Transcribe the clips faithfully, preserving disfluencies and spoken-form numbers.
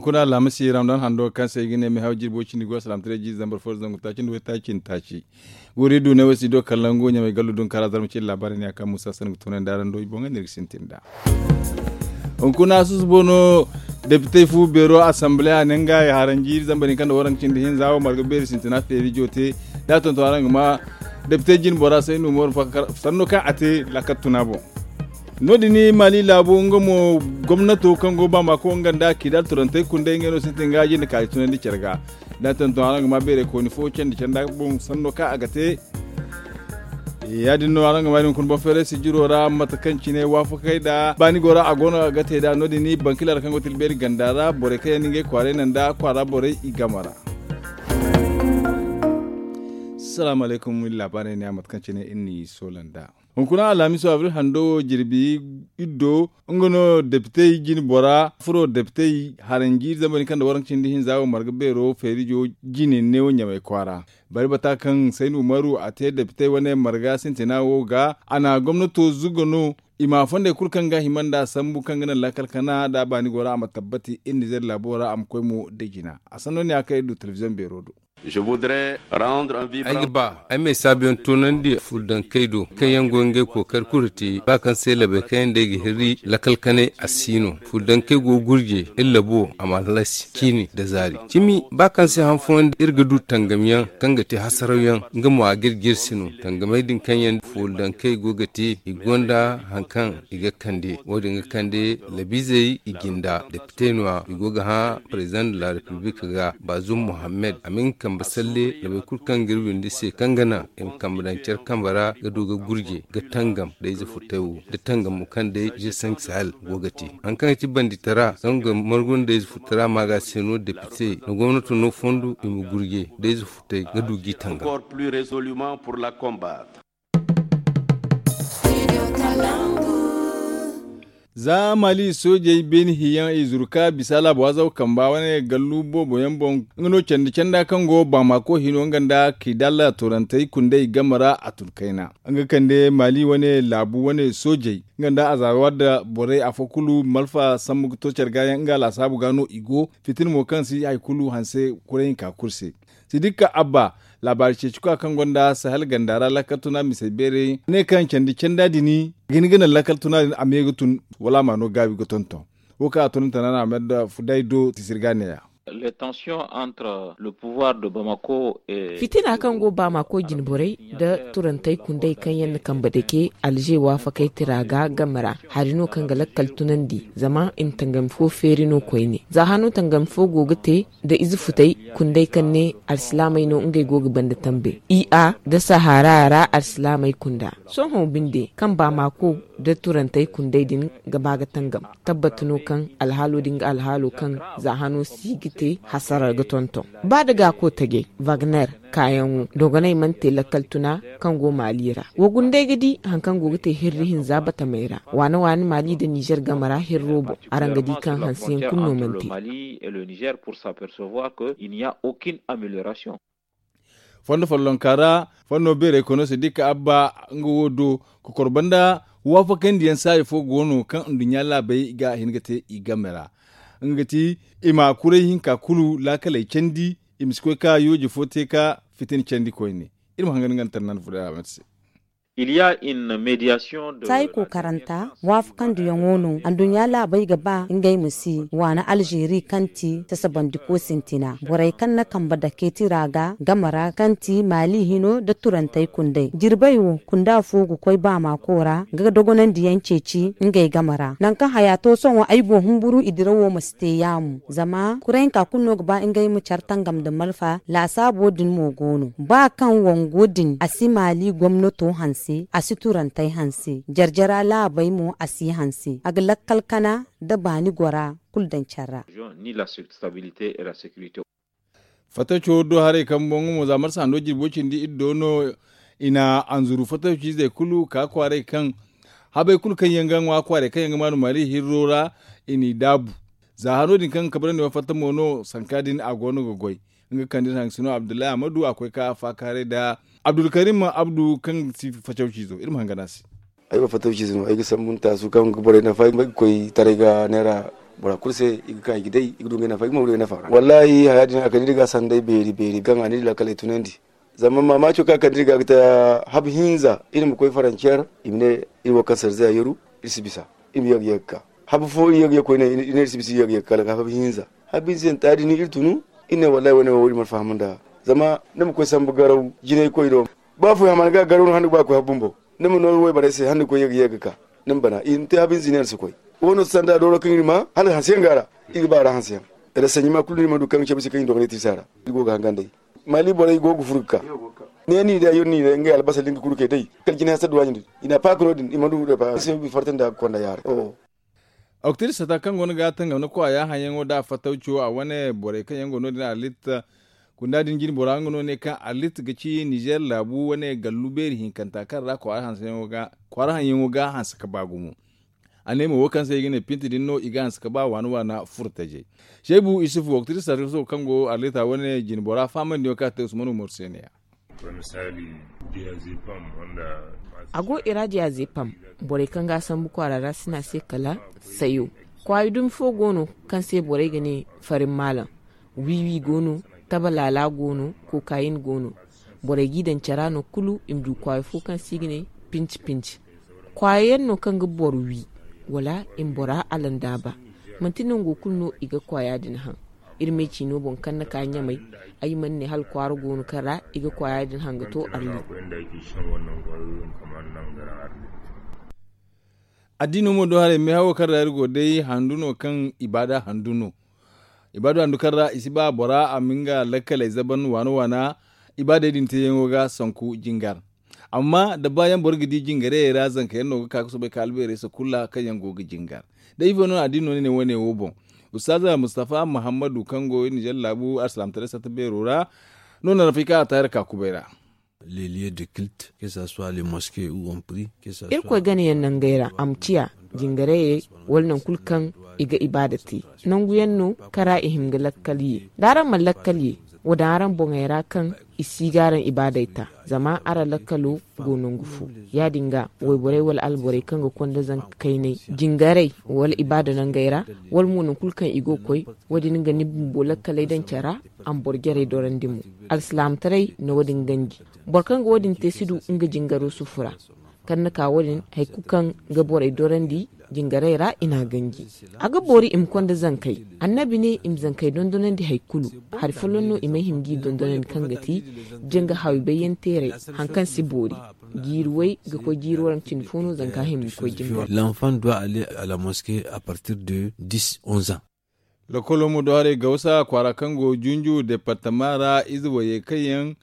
Kuna alhamisi ramadan hando kaŋ se i ga ne mehaw jirbo cindi go salaamtaray jiiri zambar fo zangu taaci nda waytaaci nda taaci. Guri du ne wo si do kallon go ɲamay gallu dun kara zarma cindi laabaari ne a kaŋ musa sanni ga toonandi araŋ do i boŋ ga ne iri ga sintin nd'a. Hunkuna susubo no depitey fu beero asambile a ne nga ya haranji iri zambar hinka nda waranka cindi hinza wo marga beeri sintina feeri joote. Da a tonton araŋ ga ma depitey jine bora saynu umaru fakkar sanno kaŋ a te laakar tuna boŋ. No- din maali laabo nga mo gomnato kaŋ go baamako nga nda kiidaal turantey kundey ngey no sintin ga jinde kaari tunandi care ga. Da a tonton araŋ ga ma beerey kooni fo candi canda boŋ sanno kaŋ a ga te. Ya- din no araŋ ga ma din hunkuna boŋ feeray sijiro ra mate kaŋ cine waafakey nda baani go ra a go no a ga te nd'a no- din bankila ra kaŋ go tilbeeri ganda ra borey kaŋ yaŋ no ngey kwaaray naŋ nda kwaara borey i game ra. Salaamu alaykum iri laabaarey ne a mate kaŋ cine iri n'i soola nd'a. Hunkuna alhamiso abril hando wo jirbi iddo nga no depitey jine bora furo depitey haranji zamani kaŋ nda waranka cindi hinza wo marga beero feerijo jine neewo ɲamay kwaara. Bari bata kaŋ sayni umaru a te depitey wane marga sintina wo ga a na gomnato zuga no i ma fondey kulu kaŋ ga hima nda a sambu kaŋ ga naŋ laakal kana nda a baani go ra a ma tabbati iri nizer laabo ra a ma koy mo da jina a sanno ne a kaŋ iri du telebiziyoŋ beero do. Ay ga ba ay ma ay saabuyaŋ toonandi fuldankey do kaŋ yaŋ go ga ngey kookari kulu te ba kaŋ se labey kaŋ yaŋ day ga hirri lakkal kanay a si no. Fuldankey go ga gurje iri labo a ma halasi ciini nda zaari cimi ba kaŋ se han fooyaŋ iri ga du tangamyaŋ kaŋ ga te hasarawyaŋ nga mo a ga iri jirsi no. Tangamey din kaŋ yaŋ fuldankey go ga te i gonda hari kaŋ i ga kande wo- din ga kande labiizey i jinda depite no- ya i go ga hã president de la repiblik ga baazum muhammed a ma nga kambe salle labey kulu kaŋ ga iri windi se kaŋ ga naŋ i ma kambe daŋ care kambe ra ga du ga gurje ga tangam da ize futay wo da tangam mo kaŋ day je sank sahel go ga te. Hari kaŋ ga ti banditara kaŋ ga margu nda ize futara ma ga se no depite nda gomnato no fondo i ma gurje da ize futay ga du g'i tangam. Za maali soojey beeni hiyaŋ i zuru ka bisa laabo waazaw kamba wane gallu boobo yaŋ boŋ. Nga no candi canda kaŋ go baamako hino nga nda kiidalla turantey kundey game ra a tun kayna nga kande maali wane laabu wane soojey nga nda azawa nda borey afo kulu malfa sambu ga to care ga yaŋ nga laasaabu ga no i go fitina mo kaŋ si hari kulu hanse kuray hinka kulu se. Sidikka abba laabaari ceeci koya kaŋ gonda sahel ganda ra lakkal tuna misey beerey ne kaŋ candi canda din ga hin ga naŋ lakkal tuna din a me ga tun wala a ma no gaabi ga tonton. Wo kaŋ a tunante no a na a ma yadda fuday do tisir ga neeya. Fitina kaŋ go baamako jinborey nda turantey kundey kaŋ yaŋ na kambe dake alze waafakey tira ga game ra hari no kaŋ ga lakkal tunandi zama i na tangami fo feeri no koyne za hano tangami fo go ga te nda ize futey kundey kaŋ ne alsilaamey no ngey go ga banda tambe i a nda sahara ra alsilaamey kunda sohõ binde kaŋ baamako nda turantey kundey din ga ba ga tangam tabbat no kaŋ alhaalo din ga alhaalo kaŋ za hano si ga te hasara ga tonton ba da gaako tajey wagner kaayaŋo dogoney mana te lakkal tuna kaŋ go maali ra wa gundey ga di hari kaŋ go ga te hirri hinza batamey ra waane waane maali nda nizer game ra hirro boŋ araŋ ga di kaŋ hanseyaŋ kulu no mana te. Fondo follonka ra fondo beerey koyno se dikka abba nga wo do kokor banda waafakandiyaŋ saayi fo go no kaŋ nduɲɲa laabey ga hin ga te i game ra nga ga ti i ma kuray hinka kulu laakaley candi i ma si koy ka yooje fo te ka fitina candi koyne. Iri ma hangan nga nda tarnan fuda a mate se. Taayi kookaranta waafakandiyaŋo no anduɲɲa laabey ga ba ngey ma si waana alzeeri kaŋ ti sasabandiko sintina borey kaŋ na kambe dake tira ga game ra kaŋ ti maali hino nda turantey kundey jirbey wo kunda fo ga koy baamaako ra ga dogonandiyaŋ ceeci ngey game ra nangu kaŋ haya to sohõ ay go humburu i dirawo ma si te yaamu zama kurayanka kulu no ga ba ngey ma care tangam nda malfa laasaabo din mo go no ba kaŋ wango din a si maali gomnato hanse a si turantey hanse jarjara laabey mo a si hanse a ga lakkal kana nda baani gora kulu daŋ care ra. Fatawco do haray kaŋ boŋ mo za marsa hando jirbo cindi iri do no i na anzuru fatawciizey kulu ka kwaaray kaŋ habey kulu kaŋ yaŋ ga ŋwa kwaaray kaŋ yaŋ ga maanu maali hirro ra i n'i daabu. Za hano din kaŋ ga kabrandi wane fatta mo no sanka din a go no ga goy nga kaŋ din haŋ sino abdullahi ahmadu a koy ka faakaaray nda abdulkarim abdu kaŋ ga ti fatawciizo iri ma hangan a se. Ay wo fatawciize no ay ga sambu nda taasu kaŋ ga borey nafa ay ga koy taray ga neera Bora kulu se i ga ka i ga day, i ga du ngey nafa, i ga ma du ngey nafa ra. Wallahi haya din a kande iri ga sanday beeri beeri gaŋ a ne iri laakaley tunandi. Zama maamaaco kaŋ a kande iri ga ga ta habu hinza iri ma koy farancer, i ma ne iri wo kaŋ sarzeya yeru, iri si bisa, iri ma ye ga ye ga ka. Habu fo iri ye ga ye koyne, iri ne iri si bisa iri ye ga ye ga ka habu hinza. Habu hinza yaŋ taadi ni iri tunu. Iri ne wallahi wane wo iri mana faham nda. Zama ni ma koy sambu garaw jinay koy do. Ba fo hamana ga garaw no hande ga ba koy habu bumbo. Ni ma no wayborey se hande ga koy ye ga ye ga ka. Ni ma bana i ma te habu hinza ne iri si koy. Wo no sanda dooro kaŋ iri ma hala hanse yaŋ ga a ra. Iri ga ba a ra hanse yaŋ. Iri sanji ma kulu no iri mana du kaŋ cabe se kaŋ iri dogonay te iri se a ra. Iri go ga hangan day. Mali borey go ga furo ga ka. Ne ni day yoro ni day ngey albasa din ga kulu kay day kala jinay hasadu waani din i na paaka no- din i mana du da paaka se bi farta nda ga konda yaare. Oktir sata kaŋ go no ga tangam ni kwaaya haŋyaŋo da a fattawco a wane borey kaŋ yaŋ go no- din a litta. Kunda din jine bora nga no ne kaŋ a litta ga ci nizer laabu wane gallu beeri hinkanta kaŋ ra kwaara hanse yaŋo ga hanse ka ba gumo. A ne mo wo kaŋ se i ga ne pinti din no i ga hanse ka ba waana waana furtajey. Seebu isufu waktirisa kaŋ go arlita wane jine bora fahamandi yaŋo kaŋ a te usman umaru se ne ya. A go i ra diya zepam. Borey kaŋ ga a sambu kwaara ra sina se kala sayo. Kwaayi dumi fo go no kaŋ se borey ga ne farin maalam. Wiiwi go no, tabalaala go no, kokayin go no. Borey g'i daŋ cara no kulu i ma du kwaayo fo kaŋ se i ga ne pinci pinci. Kwaayo yaŋ no kaŋ ga boro wi wala i ma bora alandaaba. Manti nango kulu no i ga kwaaya din haŋ. Iri me ciino boŋ kaŋ na ka ɲamay. Ay mana ne hala kwaara go no kaŋ ra i ga kwaaya din haŋ ga to arli. Addiino mo do haray meehawo kaŋ ra iri go day handu no kaŋ ibaada handu no. Ibaada handu kaŋ ra i si ba bora a ma nga lakkaley zaban waana waana. Ibaadey din teeyaŋo ga sanku jingar. Amma da baayaŋ boro ga di jingarayey ra zanka yaŋ no ga ka ga soobay ka albeerey se kulu ra kaŋ yaŋ go ga jingar. Da ifo no addiino no ne wane wo boŋ. Ustaaza mustafa muhammadu kaŋ go nizer laabu alsilaamataray sata beero ra. No na rafay kaŋ a taari ka kubay ra. Les lieux de culte que ça soit les mosquées où on prie. Irkoy ganayaŋ nangey ra a ma ciya jingarayey wala nangu kulu kaŋ i ga ibaada te. Nanguyaŋ no kaŋ ra i hin ga lakkal ye da araŋ mana lakkal ye. Wo daŋ araŋ boŋey ra kaŋ i si ga araŋ ibaadey ta. Zama araŋ lakkalo go nangu fo. Ya- din ga wayborey wala alborey kaŋ ga konda zanka kayney jingaray wala ibaada nangey ra wala mo nangu kulu kaŋ i go ga koy. Wo- din ga ni bumbo lakkaley daŋ care ra. A ma boro jarey dorandi mo. Alsilaamataray na wo- din ganji. Boro kaŋ ga wo- din te si du nga jingaro sufu ra. Kaŋ na ka wo- din hari kulu kaŋ ga borey dorandi jingarey ra i n'a ganji. A ga boori i ma konda zankey. Annabi ne i ma zankey dondonandi hari kulu. Hari folloŋ no i may hima g'i dondonandi kaŋ ga ti janga hawi bayyanteerey. Hari kaŋ si boori jiiri way ga koy jiiri waranka cindi fo no zanka hima ga koy janga. L'enfant doit aller à la mosquée à partir de dix onze ans. Lokolo mo do haray gawsa kwaara kaŋ go junju departama ra ize wayey kaŋ yaŋ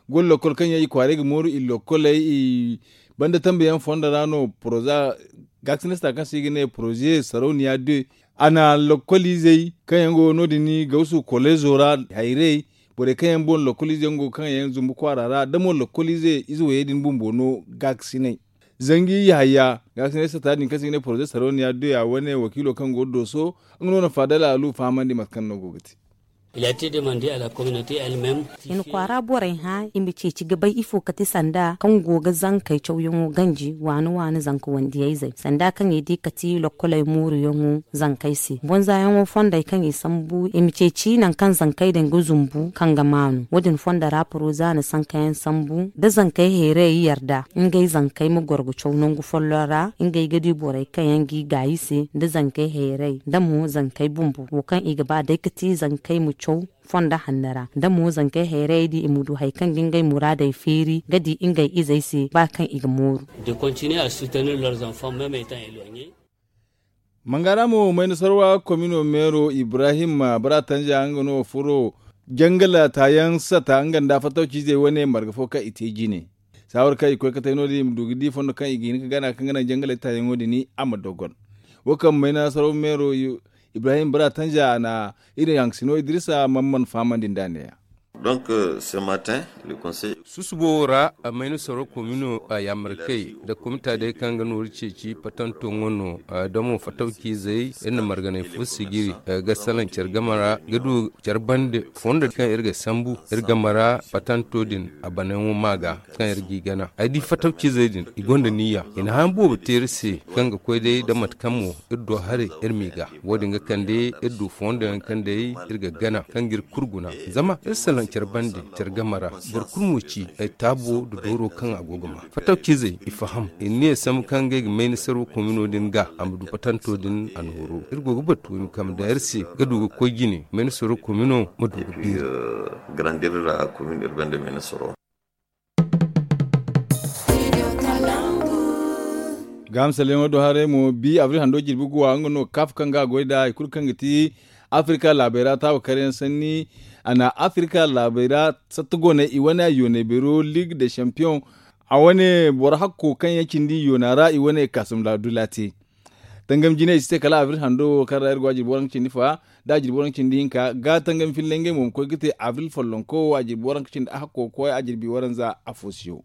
go lokol kaŋ yaŋ i kwaaray ga mooru i lokoley i banda tambe yaŋ fondo ra no poroza gaakasinista kaŋ se i ga ne poroze sarauniya de. A na lokol izey kaŋ yaŋ go no- din gawsu kolezo ra hayrey borey kaŋ yaŋ boŋ lokol ize yaŋ go kaŋ yaŋ zumbu kwaara ra da mo lokol ize ize wayey din bumbo no gaakasinay. Zangi yahaya gaakasinay sata din kaŋ se i ga ne poroze sarauniya de a wane wakiilo kaŋ go dooso nga no na faadala alu fahamandi mate kaŋ no go ga te. I na kwaara borey hã i ma ceeci ga bay ifo kate sanda kaŋ go ga zankey cawyaŋo ganji waani waani zanka wandiyayzey sanda kaŋ i di kate lokkoley mooruyaŋo zankey se bonzayaŋo fondey kaŋ i sambu i ma ceeci nangu kaŋ zankey din ga zumbu kaŋ ga maanu wo- din fondo ra poroza na sankayaŋ sambu da zankey heeray yarda ngey zankey ma goro ga caw nangu folloŋ ra ngey ga di borey kaŋ yaŋ g'i gaayi se da zankey heeray da mo zankey bumbo wo kaŋ i ga ba day ga ti zankey ma caw fondo hanno ra da mo zankey heeray di i ma du hari kaŋ ga ngey muraadey feeri ga di ngey izey se ba kaŋ i ga mooru. Mangara mo mayna sarwa komino meero ibrahim bara tanja nga no furo jangala taayaŋ sata nga nda fattawciizey wane marga fo kaŋ i te jine. Saawar kaŋ i koy ka tay no- din i ma du ga di fondo kaŋ i ga hin ga gana kaŋ ga naŋ jangaley taayaŋo din a ma dogon. Wo kaŋ mayna sarwa meero ibrahim bara tanja a na iri haŋsino idrisa man man fahamandi nd'a neeya. Donc ce matin le conseil. Susubo wo ra, mayna soro komino a yaamarkey nda komita day kaŋ ga nooru ceeci patanto ŋwa no. Da mo fatawciizey iri na marganay fo sijiri ga salaŋ care game ra ga du care bande fondo kaŋ iri ga sambu iri game ra patanto din a banayaŋo ma ga kaŋ iri g'i gana ay di fatawciizey din i gonda niyya i na hã boobo te iri se kaŋ ga koy day nda mate kaŋ mo iri do haray iri m'i ga. Wo- din ga kande iri du fondo yaŋ kaŋ day iri ga gana kaŋ ga iri kulu guna zama iri salaŋ care bande care game ra. Boro kulu mo ci taabo nda dooro kaŋ a go ga ma fatawciizey i faham i na ne sambu kaŋ ngey ga mayni sarwa komino din ga a ma du patanto din a nooru iri go ga batu i ma kambe daŋ iri se ga du ga koy jine mayni sarwa komino ma du ga beeri. Gaaham saleyaŋo do haray mo bi abril hando jirbi guwa nga no kaaf kaŋ ga a goy nd'a hari kulu kaŋ ga ti afirika laabey ra taawa karyaŋ sanni. A na afirika laabey ra satta gooney i wane yooney beero liig de champiyoŋ. A wane boro hakko kaŋ yaŋ cindi yoona ra i wane kaasum laadula te. Tangam jinay i si te kala abril hando wo kaŋ ra iri go a jirbi waranka cindi fa da a jirbi waranka cindi hinka ga tangam filla ngey mo ma koy ga te abril follonko wo a jirbi waranka cindi a hakko ga koy a jirbi waranza afo siyo.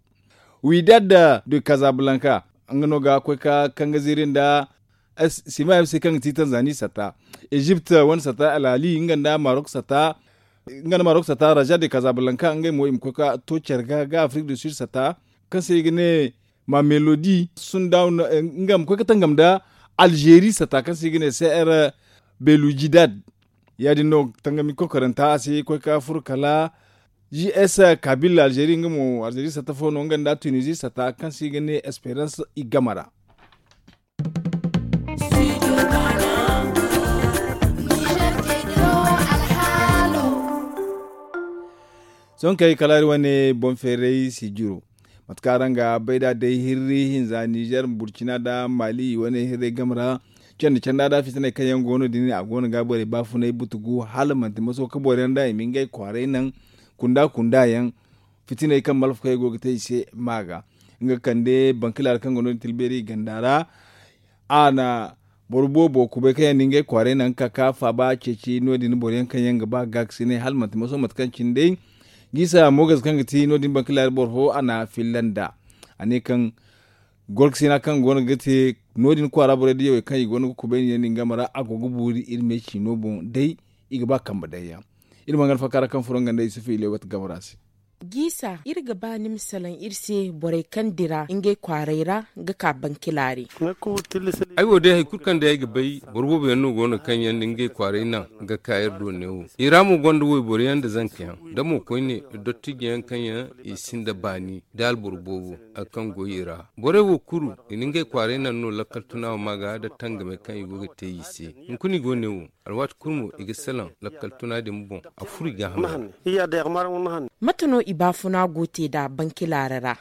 Widad de kazablanka nga no ga koy ka kaŋ ga ziiri nda sima fc kaŋ ga ti tanzani satta, ezipt wane satta alali nga nda marok satta. Nga nda marok satta raja de kazablanka ngey mo i ma koy ka to care ga ga afrik du sud satta kaŋ se i ga ne ma melodi sundaw. Nga ma koy ka tangam nda algeri satta kaŋ se i ga ne cr belujidad. Ya- din no tangami kokoranta a si koy ka furo kala js kabila algeri nga mo algeri satta fo no nga nda tunisi satta kaŋ se i ga ne esperance i game ra. Sohõ kay kala iri wane boŋ feeray sijiro. Mate kaŋ araŋ ga bay nd'a day hirri hinza nizer burcina nda mali i wane hirrey game ra. Candi canda nda fitiney kaŋ yaŋ go no din a go no ga borey baafunay butugu hala manti maso ka boro yaŋ nda i ma ngey kwaaray naŋ kunda kunda yaŋ. Fitiney kaŋ malfakey go ga te i se ma ga nga kande bankilaari kaŋ go no din tilbeeri ganda ra. A na boro boobo kubay kaŋ yaŋ na ngey kwaaray naŋ ka ka faaba ceeci no- din boro yaŋ kaŋ yaŋ ga ba gaakasinay hala manti maso mate kaŋ cine day. Giisa mogas kaŋ ga ti no- din bankilaari boro fo a na filla nd'a. A ne kaŋ gorkasina kaŋ go no ga te no- din kwaara borey da yawey kaŋ i go no ga kubay no yaŋ din game ra a go ga buuri iri me ciino boŋ day. I ga ba kambe daŋ yaŋ. Iri ma nga alfakaara kaŋ furo nga nda isufu ilewat game ra se. Giisa iri ga ba ni ma salaŋ iri se borey kaŋ dira ngey kwaaray ra ga ka bankilaari. Ay wo day hari kulu kaŋ day ay ga bay boro boobo yaŋ no go no kaŋ yaŋ na ngey kwaaray naŋ ga ka iri do neewo. I ra mo gonda wayboro yaŋ nda zanka yaŋ da mo koyne dottijo yaŋ kaŋ yaŋ i sinda baani da alboro boobo. Hari kaŋ go i ra borey wo kulu i na ngey kwaaray naŋ no lakkal tuna wo ma ga nda tangamey kaŋ i go ga te i se. Hunkuna i go neewo. Alwaati kulu mo i ga salaŋ lakkal tuna din boŋ a furo i gaaham ra. Mate no i baafuna go te nd'a bankilaari ra?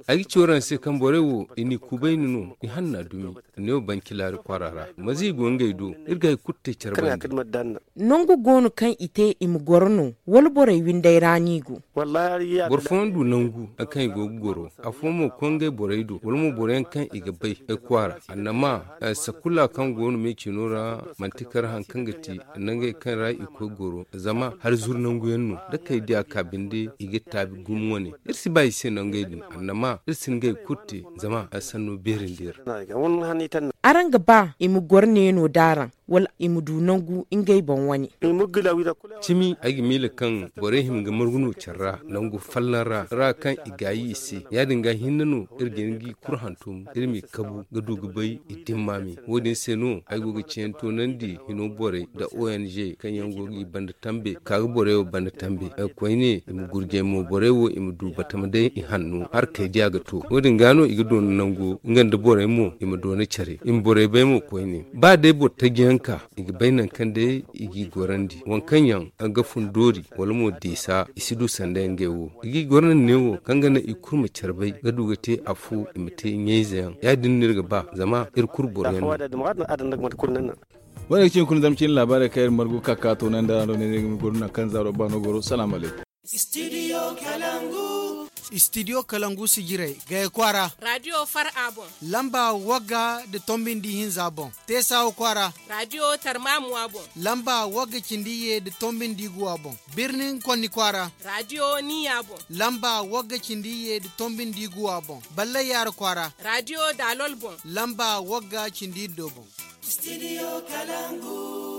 Ay ga ci waraŋ se kaŋ borey wo i n'i kubayni no i hanna dumi. I ne wo bankilaari kwaara ra maza i go ngey do. Iri ga hari kulu te care bande. Nangu go no kaŋ i te i ma goro no wala borey windey ra no i go? Boro fooyaŋ du nangu hari kaŋ i go ga goro. Afooyaŋ mo koy ngey borey do wala mo boro yaŋ kaŋ i ga bay ay kwaara annama. Sakulla kaŋ go no me ciino ra manti kar hari kaŋ ga ti nangey kaŋ ra i koy goro zama hari zuru nangu yaŋ no da kay diya ka binde i ga taabi gumo wane. Iri si ba i se nangey din annama iri si ngey kulu te zama sanno beerandi iri. Araŋ ga ba i ma goro neeno d'araŋ wala i ma du nangu ngey boŋ wane? Cimi ay ga miila kaŋ borey hima ga margu no care ra nangu fallaŋ ra ra kaŋ i gaayi i se. Ya- din ga hinne no iri ga hin g'i kuru hantum iri m'i kabu ga du ga bay i dimmaami. Wo- din se no ay go ga ciyaŋ toonandi hino borey nda ong kaŋ yaŋ go g'i banda tambe ka ga borey wo banda tambe. Koyne i ma gurjay mo borey wo i ma du batama day i hanno harkey diya ga to wo- din ga no i ga doona nango nga nda borey mo i ma doona care i ma borey bay mo koyne ba day boro taji yaŋ ka i ga bay nangu kaŋ day i g'i gorandi waŋ kaŋ yaŋ ga fun doori wala mo deesa i si du sanda yaŋ ngey wo. I g'i gorandi neewo kaŋ ga naŋ i kulu ma care bay ga du ga te afo i ma te ɲayze yaŋ ya- din no iri ga ba zama iri kulu boro yaŋ no. Wo- ne ga ci hunkuna zama cine laabaarey kaŋ iri margu ga ka ka toonandi araŋ do ne no iri ga ma goro nangu kaŋ zaaro ba no goro salaamu alaykum. Istidiyo kalangu sijirey gaya kwaara. Raadiyo far'a boŋ. Lamba wagga da tombindi hinza boŋ. Teesawa kwaara. Raadiyo tarmamuwa boŋ. Lamba wagga cindi ye da tombindi guwa boŋ. Birnin konni kwaara. Raadiyo niya boŋ. Lamba wagga cindi ye da tombindi guwa boŋ. Ballay yaara kwaara. Raadiyo daalol boŋ. Lamba wagga cindi iddo boŋ. Istidiyo kalangu.